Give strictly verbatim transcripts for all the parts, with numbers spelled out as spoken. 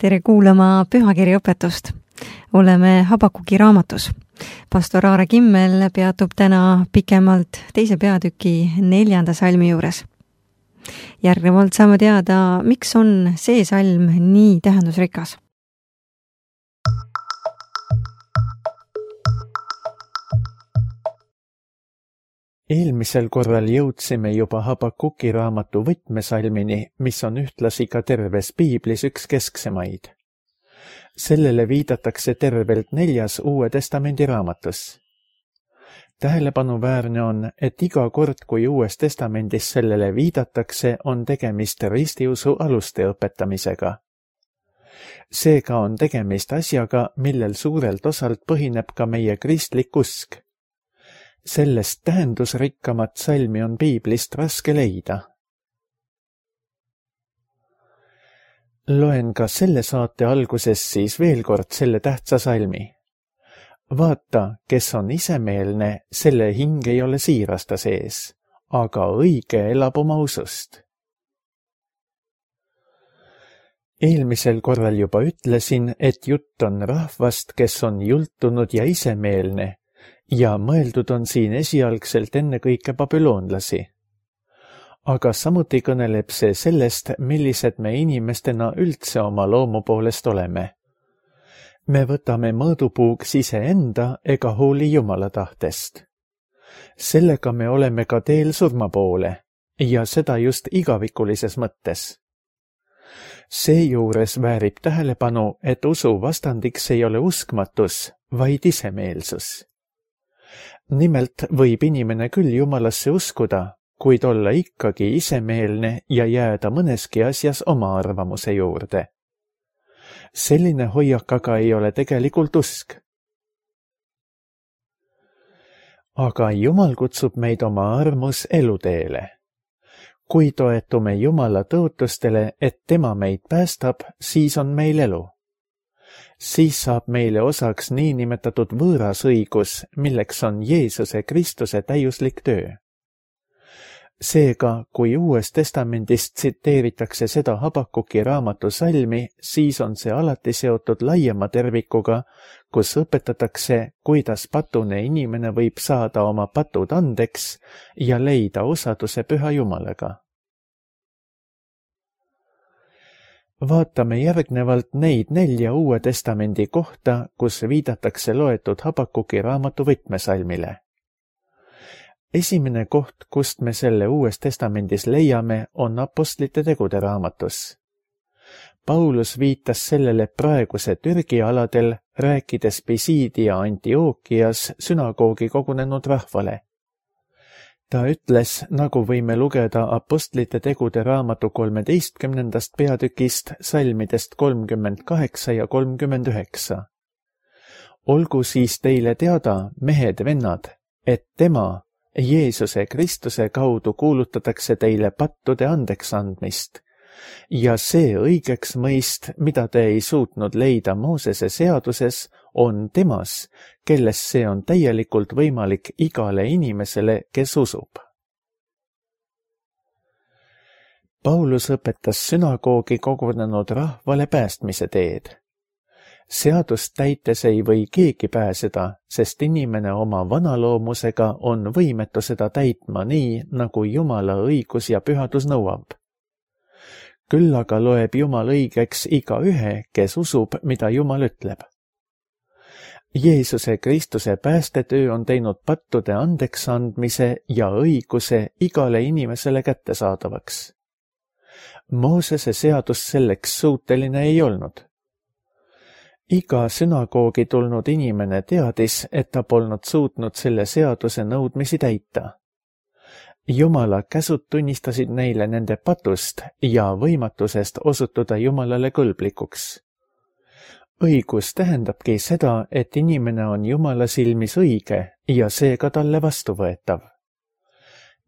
Tere kuulama pühakirjaõpetust. Oleme Habakuki raamatus. Pastor Aare Kimmel peatub täna pikemalt teise peatüki neljanda salmi juures. Järgnevalt saame teada, miks on see salm nii tähendusrikas. Eelmisel korral jõudsime juba Habakuki raamatu võtmesalmini, mis on ühtlasi ka terves piiblis üks kesksemaid. Sellele viidatakse tervelt neljas Uue Testamendi raamatus. Tähelepanuväärne on, et iga kord, kui Uues Testamendis sellele viidatakse, on tegemist ristiusu aluste õpetamisega. Seega on tegemist asjaga, millel suurelt osalt põhineb ka meie kristlik usk. Sellest tähendusrikkamat salmi on piiblist raske leida. Loen ka selle saate alguses siis veel kord selle tähtsa salmi. Vaata, kes on isemeelne, selle hing ei ole siirasta sees, aga õige elab oma usust. Eelmisel korral juba ütlesin, et jutt on rahvast, kes on jultunud ja isemeelne, ja mõeldud on siin esialgselt ennekõike babüloonlasi. Aga samuti kõneleb see sellest, millised me inimestena üldse oma loomu poolest oleme. Me võtame mõõdupuuks iseenda ega hooli Jumala tahtest. Sellega me oleme ka teel surma poole, ja seda just igavikulises mõttes. Seejuures väärib tähelepanu, et usu vastandiks ei ole uskmatus, vaid isemeelsus. Nimelt võib inimene küll Jumalasse uskuda, kuid olla ikkagi isemeelne ja jääda mõneski asjas oma arvamuse juurde. Selline hoiak aga ei ole tegelikult usk. Aga Jumal kutsub meid oma armus eluteele. Kui toetume Jumala tõotustele, et tema meid päästab, siis on meil elu. Siis saab meile osaks niinimetatud võõras õigus, milleks on Jeesuse Kristuse täiuslik töö. Seega, kui Uues Testamendist tsiteeritakse seda Habakuki raamatu salmi, siis on see alati seotud laiema tervikuga, kus õpetatakse, kuidas patune inimene võib saada oma patud andeks ja leida osaduse Püha Jumalaga. Vaatame järgnevalt neid nelja Uue Testamendi kohta, kus viidatakse loetud Habakuki raamatu võtmesalmile. Esimene koht, kust me selle Uues Testamendis leiame, on apostlite tegude raamatus. Paulus viitas sellele praeguse Türgi aladel, rääkides Pisidia Antiookias sünagoogi kogunenud rahvale. Ta ütles, nagu võime lugeda apostlite tegude raamatu kolmeteistkümnendast peatükist salmidest kolmkümmend kaheksa ja kolmkümmend üheksa. Olgu siis teile teada, mehed vennad, et tema, Jeesuse Kristuse kaudu kuulutatakse teile pattude andeks andmist, ja see õigeks mõist, mida te ei suutnud leida Moosese seaduses, on temas, kelles see on täielikult võimalik igale inimesele, kes usub. Paulus õpetas sünagoogi kogunenud rahvale päästmise teed. Seadust täites ei või keegi pääseda, sest inimene oma vanaloomusega on võimetu seda täitma nii, nagu Jumala õigus ja pühadus nõuab. Küll aga loeb Jumal õigeks iga ühe, kes usub, mida Jumal ütleb. Jeesuse Kristuse päästetöö on teinud pattude andeks andmise ja õiguse igale inimesele kättesaadavaks. Moosese seadus selleks suuteline ei olnud. Iga sünagoogi tulnud inimene teadis, et ta polnud suutnud selle seaduse nõudmisi täita. Jumala käsud tunnistasid neile nende patust ja võimatusest osutuda Jumalale kõlblikuks. Õigus tähendabki seda, et inimene on Jumala silmis õige ja seega talle vastuvõetav.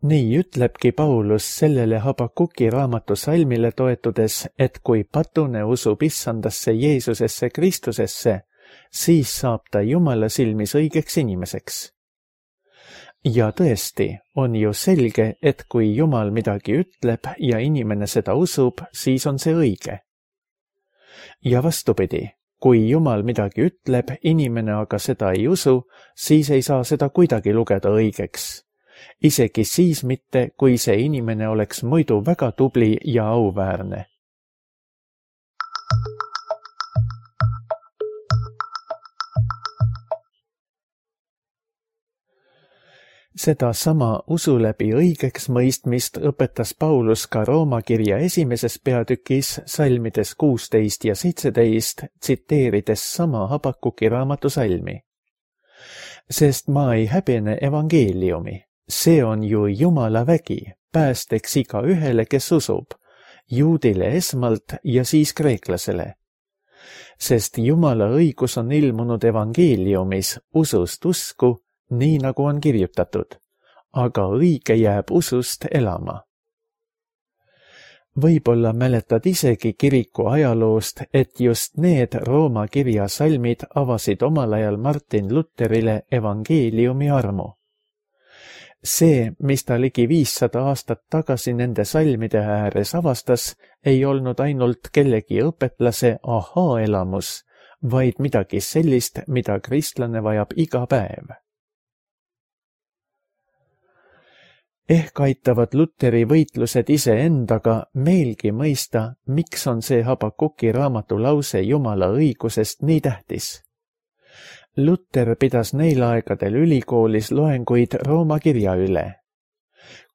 Nii ütlebki Paulus sellele Habakuki raamatu salmile toetudes, et kui patune usub issandasse Jeesusesse Kristusesse, siis saab ta Jumala silmis õigeks inimeseks. Ja tõesti, on ju selge, et kui Jumal midagi ütleb ja inimene seda usub, siis on see õige. ja vastupidi, kui Jumal midagi ütleb, inimene aga seda ei usu, siis ei saa seda kuidagi lugeda õigeks. Isegi siis mitte, kui see inimene oleks muidu väga tubli ja auväärne. Seda sama usu läbi õigeks mõistmist õpetas Paulus ka Rooma kirja esimeses peatükis salmides kuusteist ja seitseteist, tsiteerides sama Habakuki raamatu salmi. Sest ma ei häbene evangeeliumi, see on ju Jumala vägi, päästeks iga ühele, kes usub, juudile esmalt ja siis kreeklasele. Sest Jumala õigus on ilmunud evangeeliumis usust usku, nii nagu on kirjutatud, aga õige jääb usust elama. Võib-olla mäletad isegi kiriku ajaloost, et just need Rooma kirja salmid avasid omal ajal Martin Luterile evangeeliumi armu. See, mis ta ligi viissada aastat tagasi nende salmide ääres avastas, ei olnud ainult kellegi õpetlase ahaa-elamus, vaid midagi sellist, mida kristlane vajab iga päev. Ehk aitavad Luteri võitlused iseendaga meelgi mõista, miks on see Habakuki raamatu lause Jumala õigusest nii tähtis. Luter pidas neil aegadel ülikoolis loenguid Rooma kirja üle.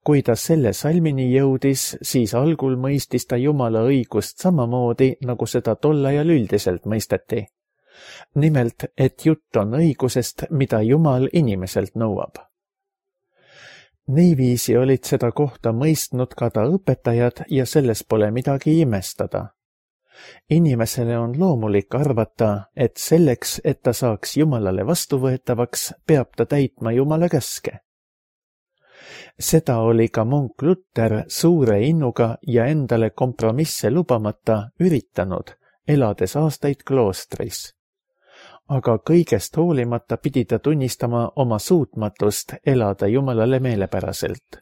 Kui ta selle salmini jõudis, siis algul mõistis ta Jumala õigust samamoodi, nagu seda tol ajal üldiselt mõisteti. Nimelt, et jutt on õigusest, mida Jumal inimeselt nõuab. Niiviisi olid seda kohta mõistnud ka ta õpetajad ja selles pole midagi imestada. Inimesele on loomulik arvata, et selleks, et ta saaks Jumalale vastuvõetavaks, peab ta täitma Jumala käske. Seda oli ka munk Luter suure innuga ja endale kompromisse lubamata üritanud, elades aastaid kloostris. Aga kõigest hoolimata pidi ta tunnistama oma suutmatust elada Jumalale meelepäraselt.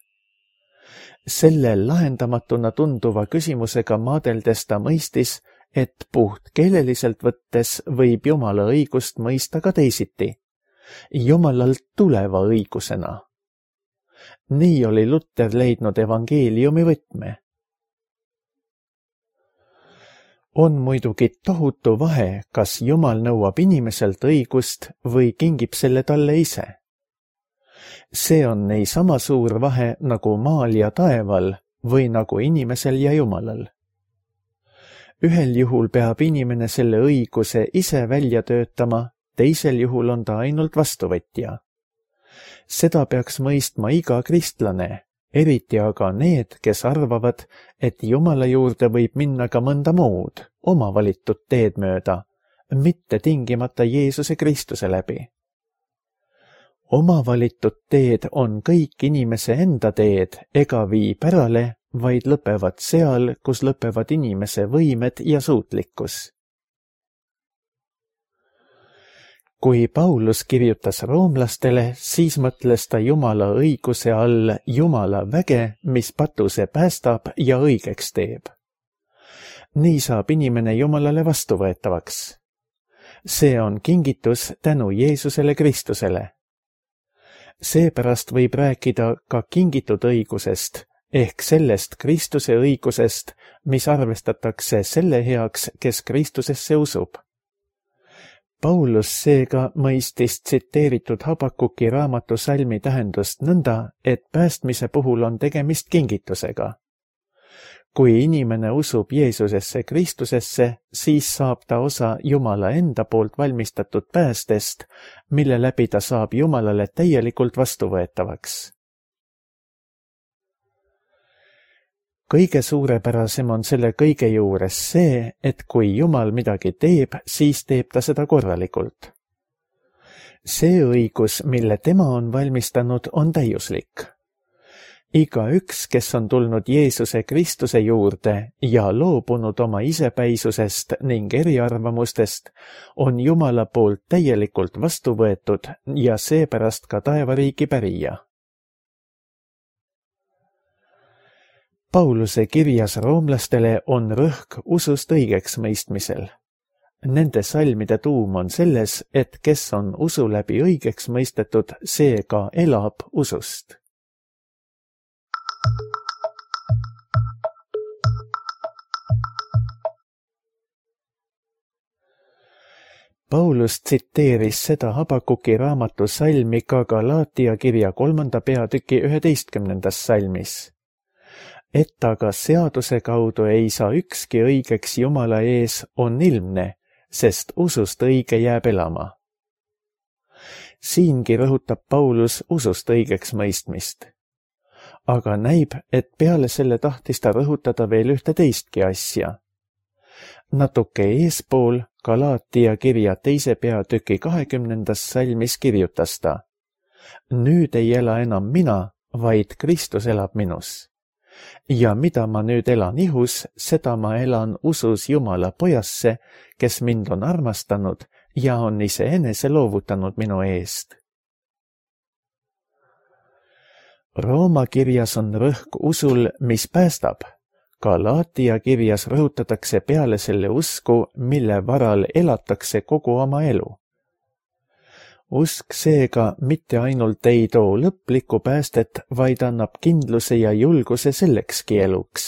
Selle lahendamatuna tunduva küsimusega maadeldes ta mõistis, et puht keeleliselt võttes võib Jumala õigust mõista ka teisiti, Jumalalt tuleva õigusena. Nii oli Luter leidnud evangeeliumi võtme. On muidugi tohutu vahe, kas Jumal nõuab inimeselt õigust või kingib selle talle ise. See on niisama suur vahe nagu maal ja taeval või nagu inimesel ja Jumalal. Ühel juhul peab inimene selle õiguse ise välja töötama, teisel juhul on ta ainult vastuvõtja. Seda peaks mõistma iga kristlane, eriti aga need, kes arvavad, et Jumala juurde võib minna ka mõnda muud, oma valitud teed mööda, mitte tingimata Jeesuse Kristuse läbi. Oma valitud teed on kõik inimese enda teed ega vii pärale, vaid lõpevad seal, kus lõpevad inimese võimed ja suutlikkus. Kui Paulus kirjutas roomlastele, siis mõtles ta Jumala õiguse all Jumala väge, mis patuse päästab ja õigeks teeb. Nii saab inimene Jumalale vastuvõetavaks. See on kingitus tänu Jeesusele Kristusele. Seepärast võib rääkida ka kingitud õigusest, ehk sellest Kristuse õigusest, mis arvestatakse selle heaks, kes Kristusesse usub. Paulus seega mõistis tsiteeritud Habakuki raamatu salmi tähendust nõnda, et päästmise puhul on tegemist kingitusega. Kui inimene usub Jeesusesse Kristusesse, siis saab ta osa Jumala enda poolt valmistatud päästest, mille läbi ta saab Jumalale täielikult vastuvõetavaks. Kõige suurepärasem on selle kõige juures see, et kui Jumal midagi teeb, siis teeb ta seda korralikult. See õigus, mille tema on valmistanud, on täiuslik. Igaüks, kes on tulnud Jeesuse Kristuse juurde ja loobunud oma isepäisusest ning eriarvamustest, on Jumala poolt täielikult vastu võetud ja seepärast ka taevariigi pärija. Pauluse kirjas roomlastele on rõhk usust õigeks mõistmisel. Nende salmide tuum on selles, et kes on usu läbi õigeks mõistetud, see ka elab usust. Paulus tsiteeris seda Habakuki raamatu salmi ka Galaatia kirja kolmanda peatüki üheteistkümnendas salmis. Et aga seaduse kaudu ei saa ükski õigeks Jumala ees, on ilmne, sest usust õige jääb elama. Siingi rõhutab Paulus usust õigeks mõistmist. Aga näib, et peale selle tahtis ta rõhutada veel ühte teistki asja. Natuke eespool Galaatia kirja teise peatüki kahekümnendas salmis kirjutas ta: Nüüd ei ela enam mina, vaid Kristus elab minus. Ja mida ma nüüd elan ihus, seda ma elan usus Jumala pojasse, kes mind on armastanud ja on iseenese loovutanud minu eest. Rooma kirjas on rõhk usul, mis päästab. Galaatia kirjas rõhutatakse peale selle usku, mille varal elatakse kogu oma elu. Usk seega mitte ainult ei too lõplikku päästet, vaid annab kindluse ja julguse sellekski eluks.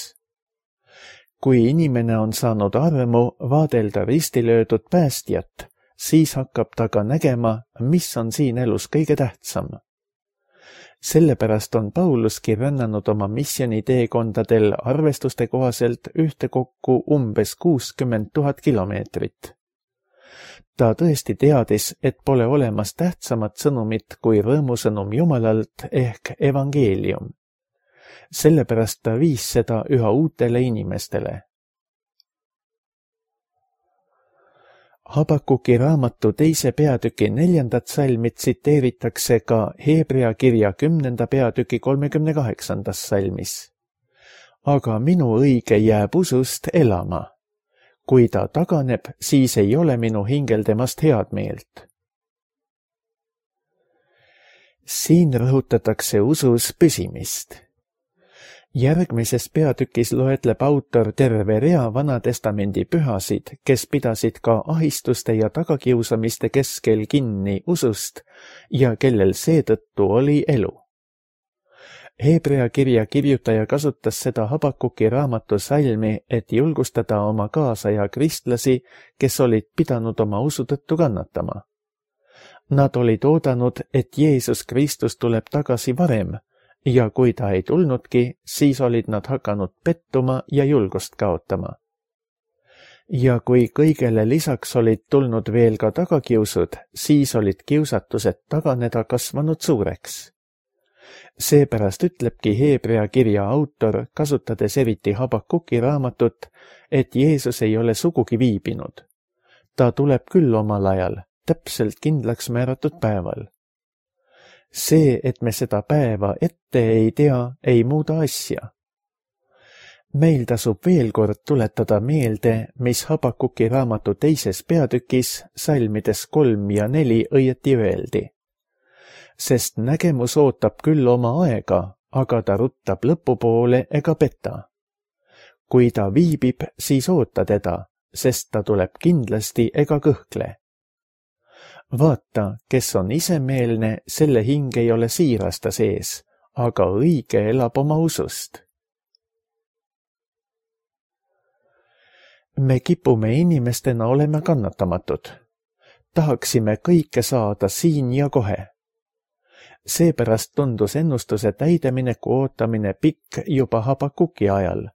Kui inimene on saanud armu vaadelda ristilöödud päästjat, siis hakkab ta ka nägema, mis on siin elus kõige tähtsam. Sellepärast on Pauluski rännanud oma missioniteekondadel arvestuste kohaselt ühtekokku umbes kuuskümmend tuhat kilomeetrit. Ta tõesti teadis, et pole olemas tähtsamat sõnumit kui rõõmusõnum Jumalalt ehk evangeelium. Sellepärast ta viis seda üha uutele inimestele. Habakuki raamatu teise peatüki neljandat salmi tsiteeritakse ka Heebrea kirja kümnenda peatüki kolmekümne kaheksandas salmis. Aga minu õige jääb usust elama. Kui ta taganeb, siis ei ole minu hingel temast head meelt. Siin rõhutatakse usus püsimist. Järgmises peatükis loetleb autor terve rea Vanatestamendi pühasid, kes pidasid ka ahistuste ja tagakiusamiste keskel kinni usust ja kellel seetõttu oli elu. Heebrea kirja kirjutaja kasutas seda Habakuki raamatu salmi, et julgustada oma kaasaja kristlasi, kes olid pidanud oma usu tõttu kannatama. Nad olid oodanud, et Jeesus Kristus tuleb tagasi varem, ja kui ta ei tulnudki, siis olid nad hakanud pettuma ja julgust kaotama. Ja kui kõigele lisaks olid tulnud veel ka tagakiusud, siis olid kiusatused taganeda kasvanud suureks. Seepärast ütlebki Heebrea kirja autor, kasutades eriti Habakuki raamatut, et Jeesus ei ole sugugi viibinud. Ta tuleb küll omal ajal, täpselt kindlaks määratud päeval. See, et me seda päeva ette ei tea, ei muuda asja. Meil tasub veel kord tuletada meelde, mis Habakuki raamatu teises peatükis salmides kolm ja neli õieti öeldi. Sest nägemus ootab küll oma aega, aga ta ruttab lõpupoole ega peta. Kui ta viibib, siis oota teda, sest ta tuleb kindlasti ega kõhkle. Vaata, kes on isemeelne, selle hing ei ole siirasta sees, aga õige elab oma usust. Me kipume inimestena olema kannatamatud. Tahaksime kõike saada siin ja kohe. Seepärast tundus ennustuse täidemineku ootamine pikk juba Habakuki ajal,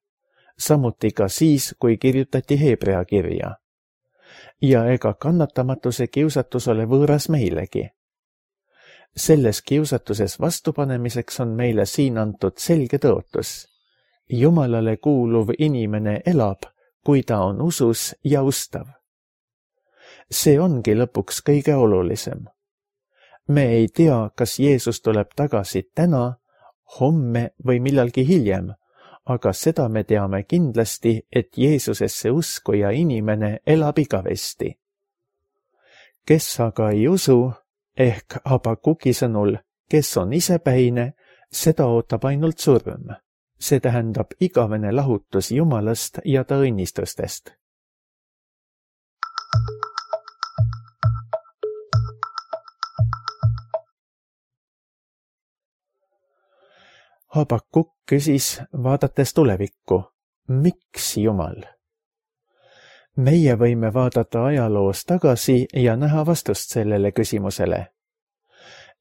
samuti ka siis, kui kirjutati Heebrea kirja. Ja ega kannatamatuse kiusatus ole võõras meilegi. Selles kiusatuses vastupanemiseks on meile siin antud selge tõotus. Jumalale kuuluv inimene elab, kui ta on usus ja ustav. See ongi lõpuks kõige olulisem. Me ei tea, kas Jeesus tuleb tagasi täna, homme või millalgi hiljem, aga seda me teame kindlasti, et Jeesusesse uskuja inimene elab igavesti. Kes aga ei usu, ehk Habakuki sõnul, kes on isepäine, seda ootab ainult surm, see tähendab igavene lahutus Jumalast ja ta õnnistustest. Habakuk küsis, vaadates tulevikku, miks Jumal? Meie võime vaadata ajaloos tagasi ja näha vastust sellele küsimusele.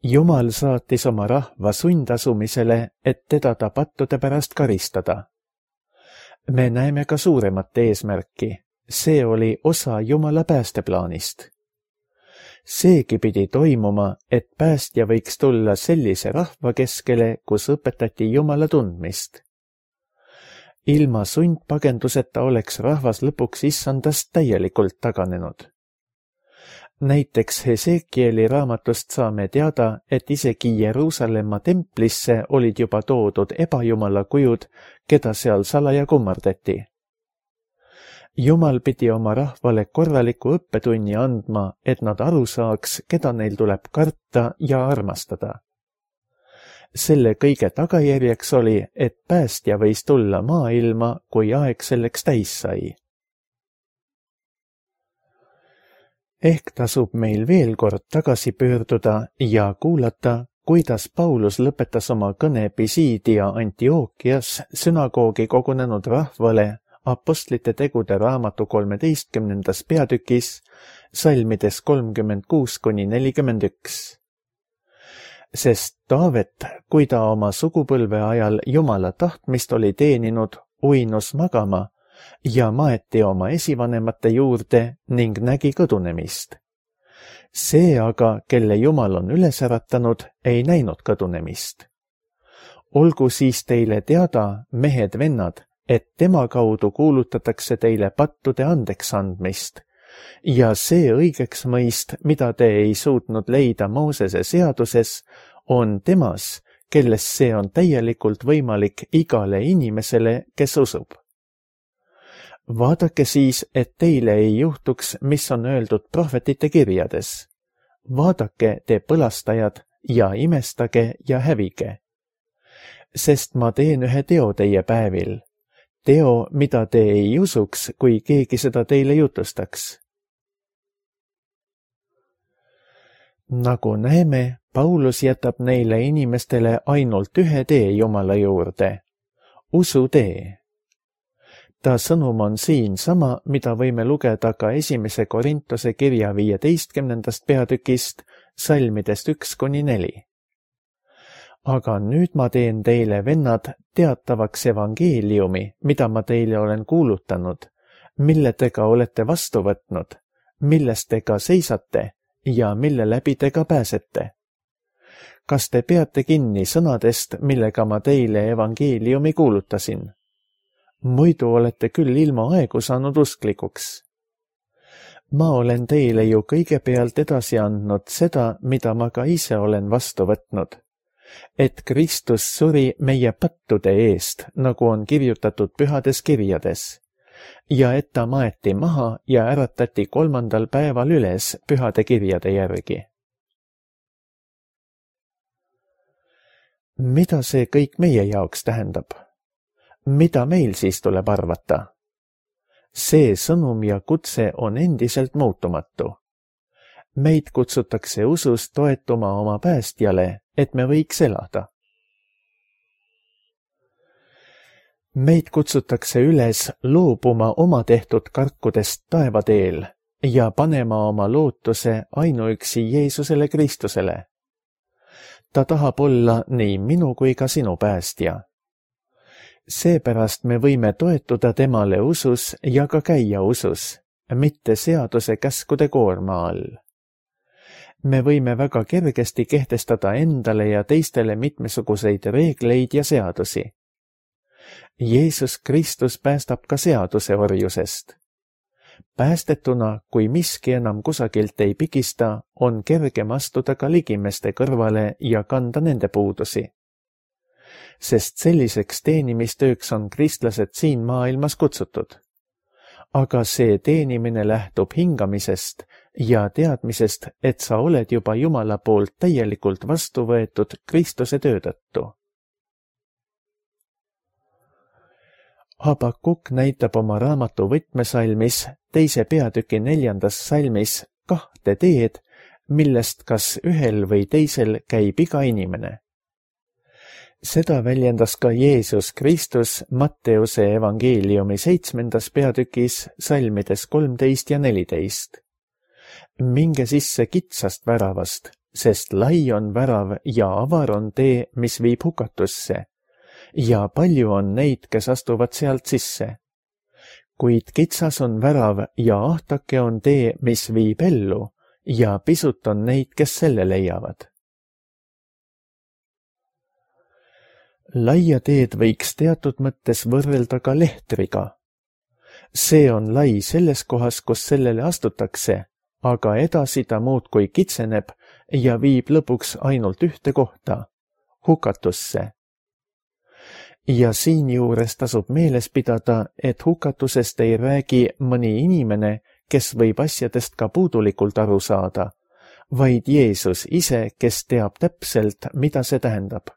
Jumal saatis oma rahva sundasumisele, et teda ta pattude pärast karistada. Me näeme ka suuremat eesmärki. See oli osa Jumala päästeplaanist. Seegi pidi toimuma, et päästja võiks tulla sellise rahva keskele, kus õpetati Jumala tundmist. Ilma sundpagenduseta oleks rahvas lõpuks issandast täielikult taganenud. Näiteks Hesekieli raamatust saame teada, et isegi Jeruusalemma templisse olid juba toodud ebajumala kujud, keda seal salaja kummardati. Jumal pidi oma rahvale korraliku õppetunni andma, et nad aru saaks, keda neil tuleb karta ja armastada. Selle kõige tagajärjeks oli, et päästja võis tulla maailma, kui aeg selleks täis sai. Ehk tasub meil veel kord tagasi pöörduda ja kuulata, kuidas Paulus lõpetas oma kõne Pisidia Antiookias sünagoogi kogunenud rahvale Apostlite tegude raamatu kolmeteistkümnendas peatükis, salmides kolmkümmend kuus kuni nelikümmend üks. Sest Taavet, kui ta oma sugupõlve ajal Jumala tahtmist oli teeninud, uinus magama ja maeti oma esivanemate juurde ning nägi kõdunemist. See aga, kelle Jumal on üles äratanud, ei näinud kõdunemist. Olgu siis teile teada, mehed-vennad, et tema kaudu kuulutatakse teile pattude andeks andmist ja see õigeks mõist, mida te ei suutnud leida Moosese seaduses, on temas, kelles see on täielikult võimalik igale inimesele, kes usub. Vaadake siis, et teile ei juhtuks, mis on öeldud prohvetite kirjades. Vaadake, te põlastajad, ja imestage ja hävige. Sest ma teen ühe teo teie päevil. Teo, mida te ei usuks, kui keegi seda teile jutustaks. Nagu näeme, Paulus jätab neile inimestele ainult ühe tee Jumala juurde. Usu tee. Ta sõnum on siin sama, mida võime lugeda ka esimese Korintuse kirja viieteistkümnendast peatükist, salmidest üks kuni neli. Aga nüüd ma teen teile, vennad, teatavaks evangeeliumi, mida ma teile olen kuulutanud, mille te ka olete vastu võtnud, millest te ka seisate ja mille läbi te ka pääsete. Kas te peate kinni sõnadest, millega ma teile evangeeliumi kuulutasin? Muidu olete küll ilma aegu saanud usklikuks. Ma olen teile ju kõigepealt edasi andnud seda, mida ma ka ise olen vastu võtnud. Et Kristus suri meie pattude eest, nagu on kirjutatud pühades kirjades, ja et ta maeti maha ja äratati kolmandal päeval üles pühade kirjade järgi. Mida see kõik meie jaoks tähendab? Mida meil siis tuleb arvata? See sõnum ja kutse on endiselt muutumatu. Meid kutsutakse usus toetuma oma päästjale, et me võiks elada. Meid kutsutakse üles loobuma oma tehtud karkudest taevateel ja panema oma lootuse ainuüksi Jeesusele Kristusele. Ta tahab olla nii minu kui ka sinu päästja. Seepärast me võime toetuda temale usus ja ka käia usus, mitte seaduse käskude koorma all. Me võime väga kergesti kehtestada endale ja teistele mitmesuguseid reegleid ja seadusi. Jeesus Kristus päästab ka seaduse orjusest. Päästetuna, kui miski enam kusagilt ei pigista, on kergem astuda ka ligimeste kõrvale ja kanda nende puudusi. Sest selliseks teenimistööks on kristlased siin maailmas kutsutud. Aga see teenimine lähtub hingamisest ja teadmisest, et sa oled juba Jumala poolt täielikult vastu võetud Kristuse töö tõttu. Habakuk näitab oma raamatu võtmesalmis teise peatüki neljandas salmis kahte teed, millest kas ühel või teisel käib iga inimene. Seda väljendas ka Jeesus Kristus Matteuse evangeeliumi seitsmendas peatükis salmides kolmteist ja neliteist. Minge sisse kitsast väravast, sest lai on värav ja avar on tee, mis viib hukatusse, ja palju on neid, kes astuvad sealt sisse. Kuid kitsas on värav ja ahtake on tee, mis viib ellu, ja pisut on neid, kes selle leiavad. Laia teed võiks teatud mõttes võrrelda ka lehtriga. See on lai selles kohas, kus sellele astutakse, aga edasi ta muudkui kitseneb ja viib lõpuks ainult ühte kohta, hukatusse. Ja siinjuures tasub meeles pidada, et hukatusest ei räägi mõni inimene, kes võib asjadest ka puudulikult aru saada, vaid Jeesus ise, kes teab täpselt, mida see tähendab.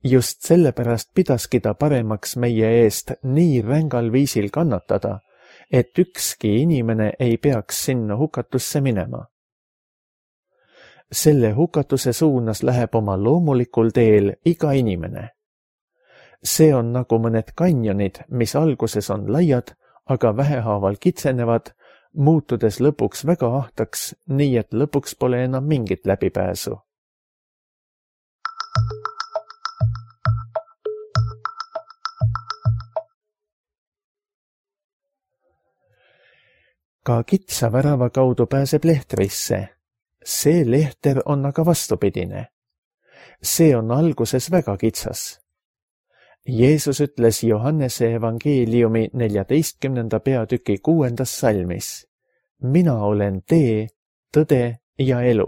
Just sellepärast pidaski ta paremaks meie eest nii rängal viisil kannatada, et ükski inimene ei peaks sinna hukatusse minema. Selle hukatuse suunas läheb oma loomulikul teel iga inimene. See on nagu mõned kanjonid, mis alguses on laiad, aga vähehaaval kitsenevad, muutudes lõpuks väga ahtaks, nii et lõpuks pole enam mingit läbipääsu. Ka kitsa värava kaudu pääseb lehtrisse. See lehter on aga vastupidine. See on alguses väga kitsas. Jeesus ütles Johannese evangeeliumi neljateistkümnenda peatüki kuuendas salmis. Mina olen tee, tõde ja elu.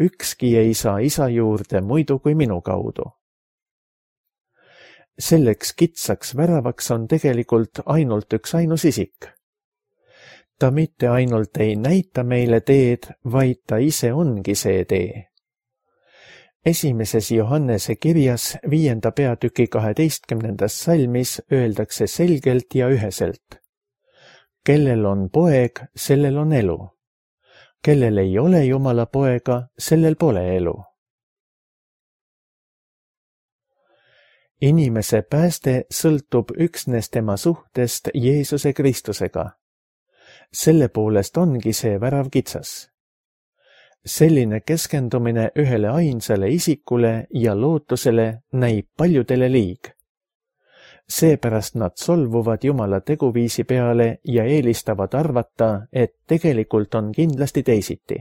Ükski ei saa isa juurde muidu kui minu kaudu. Selleks kitsaks väravaks on tegelikult ainult üks ainus isik. Ta mitte ainult ei näita meile teed, vaid ta ise ongi see tee. Esimeses Johannese kirjas viienda peatüki kaheteistkümnendas salmis öeldakse selgelt ja üheselt. Kellel on poeg, sellel on elu. Kellel ei ole Jumala poega, sellel pole elu. Inimese pääste sõltub üksnes tema suhtest Jeesuse Kristusega. Selle poolest ongi see värav kitsas. Selline keskendumine ühele ainsale isikule ja lootusele näib paljudele liig. Seepärast nad solvuvad Jumala teguviisi peale ja eelistavad arvata, et tegelikult on kindlasti teisiti.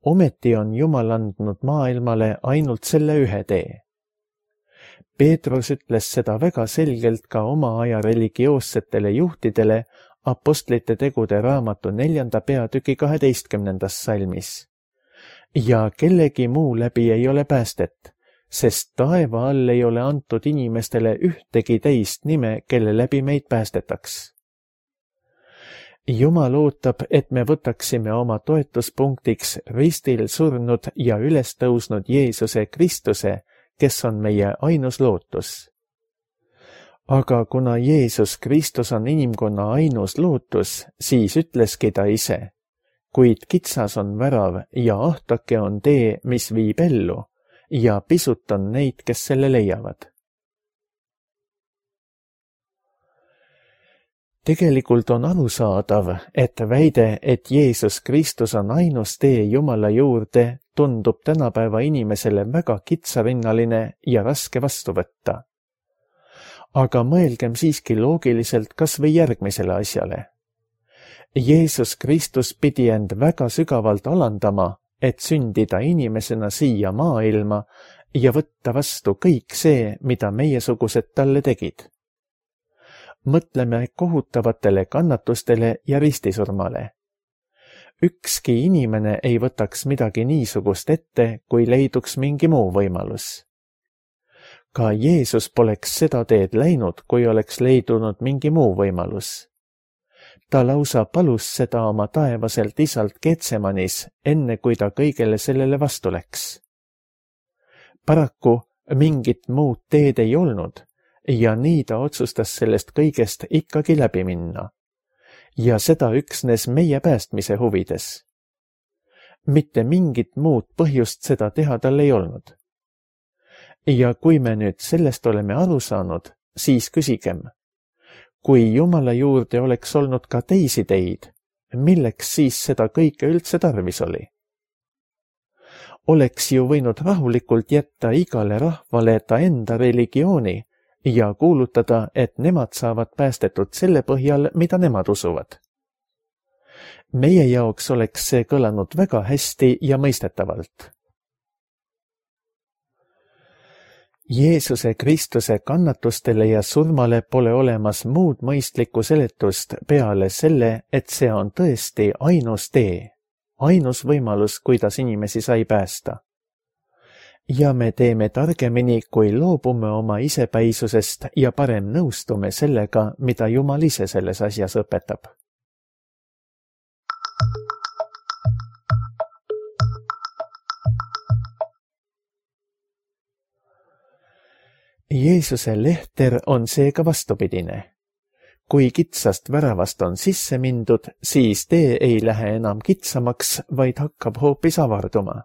Ometi on Jumal andnud maailmale ainult selle ühe tee. Peetrus ütles seda väga selgelt ka oma aja religioossetele juhtidele Apostlite tegude raamatu neljanda peatüki kaheteistkümnendas salmis. Ja kellegi muu läbi ei ole päästet, sest taeva all ei ole antud inimestele ühtegi teist nime, kelle läbi meid päästetaks. Jumal ootab, et me võtaksime oma toetuspunktiks ristil surnud ja üles tõusnud Jeesuse Kristuse, kes on meie ainus lootus. Aga kuna Jeesus Kristus on inimkonna ainus lootus, siis ütleski ta ise, kuid kitsas on värav ja ahtake on tee, mis viib ellu, ja pisut on neid, kes selle leiavad. Tegelikult on arusaadav, et väide, et Jeesus Kristus on ainus tee Jumala juurde, tundub tänapäeva inimesele väga kitsarinnaline ja raske vastu võtta. Aga mõelgem siiski loogiliselt kas või järgmisele asjale. Jeesus Kristus pidi end väga sügavalt alandama, et sündida inimesena siia maailma ja võtta vastu kõik see, mida meiesugused talle tegid. Mõtleme kohutavatele kannatustele ja ristisurmale. Ükski inimene ei võtaks midagi niisugust ette, kui leiduks mingi muu võimalus. Ka Jeesus poleks seda teed läinud, kui oleks leidunud mingi muu võimalus. Ta lausa palus seda oma taevaselt isalt Getsemanis, enne kui ta kõigele sellele vastu läks. Paraku mingit muud teed ei olnud ja nii ta otsustas sellest kõigest ikkagi läbi minna. Ja seda üksnes meie päästmise huvides. Mitte mingit muud põhjust seda teha tal ei olnud. Ja kui me nüüd sellest oleme aru saanud, siis küsigem, kui Jumala juurde oleks olnud ka teisi teid, milleks siis seda kõike üldse tarvis oli? Oleks ju võinud rahulikult jätta igale rahvale ta enda religiooni ja kuulutada, et nemad saavad päästetud selle põhjal, mida nemad usuvad. Meie jaoks oleks see kõlanud väga hästi ja mõistetavalt. Jeesuse Kristuse kannatustele ja surmale pole olemas muud mõistlikku seletust peale selle, et see on tõesti ainus tee, ainus võimalus, kuidas inimesi sai päästa. Ja me teeme targemini, kui loobume oma isepäisusest ja parem nõustume sellega, mida Jumal ise selles asjas õpetab. Jeesuse lehter on seega vastupidine. Kui kitsast väravast on sisse mindud, siis tee ei lähe enam kitsamaks, vaid hakkab hoopis avarduma.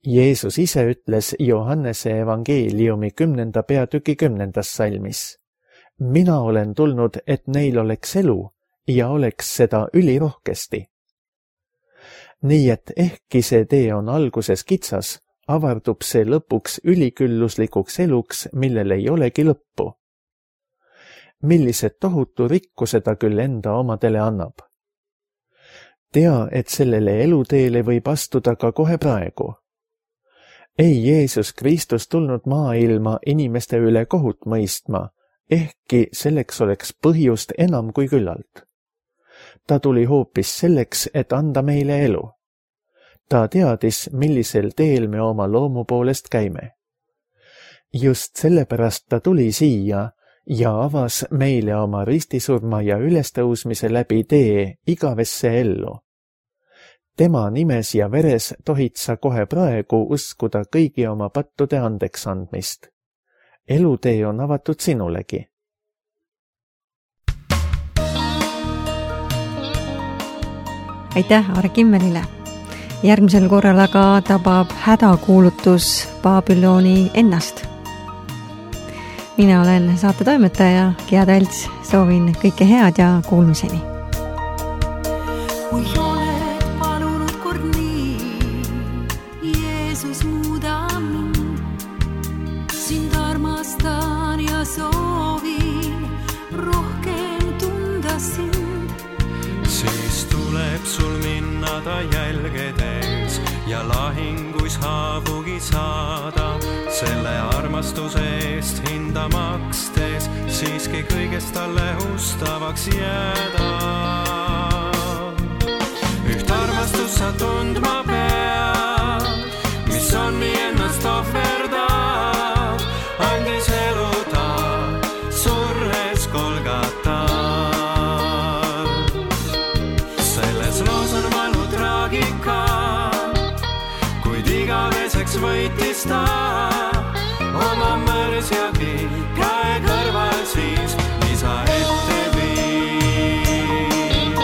Jeesus ise ütles Johannese evangeeliumi kümnenda peatüki kümnendas salmis. Mina olen tulnud, et neil oleks elu ja oleks seda ülirohkesti. Nii et ehkki see tee on alguses kitsas, avardub see lõpuks ülikülluslikuks eluks, millel ei olegi lõppu. Millised tohutu rikkuse ta küll enda omadele annab. Tea, et sellele eluteele võib astuda ka kohe praegu. Ei Jeesus Kristus tulnud maailma inimeste üle kohut mõistma, ehkki selleks oleks põhjust enam kui küllalt. Ta tuli hoopis selleks, et anda meile elu. Ta teadis, millisel teel me oma loomu poolest käime. Just sellepärast ta tuli siia ja avas meile oma ristisurma ja ülestõusmise läbi tee igavesse ellu. Tema nimes ja veres tohid sa kohe praegu uskuda kõigi oma pattude andeks andmist. Elutee on avatud sinulegi. Aitäh Aare Kimmelile! Järgmisel korral aga tabab hädakuulutus Babyloni ennast. Mina olen saate toimetaja Gea Talts, soovin kõike head ja kuulmiseni. Kui oled palunud kord nii, Jeesus muuda mind, sind armastan ja soovin rohkem tunda sind. Siis tuleb sul minna ta jälgedes ja lahinguis haavugi saada, selle armastuse eest hinda makstes siiski kõigest talle ustavaks jääda. Üht armastus sa tundma pead, mis on nii ennast ohverdab, andis elu ta surres Golgatal. Selles loos on valu traagika, kuid igaveseks võitis ta oma mõrsjagi käe kõrval siis isa ette viib.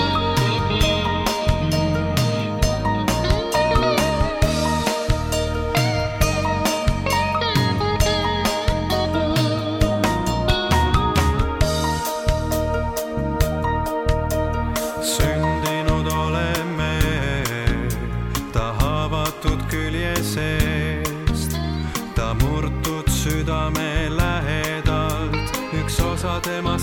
Sündinud oleme ta haavatud külje seest, ta murtud südame lähedalt, üks osa tema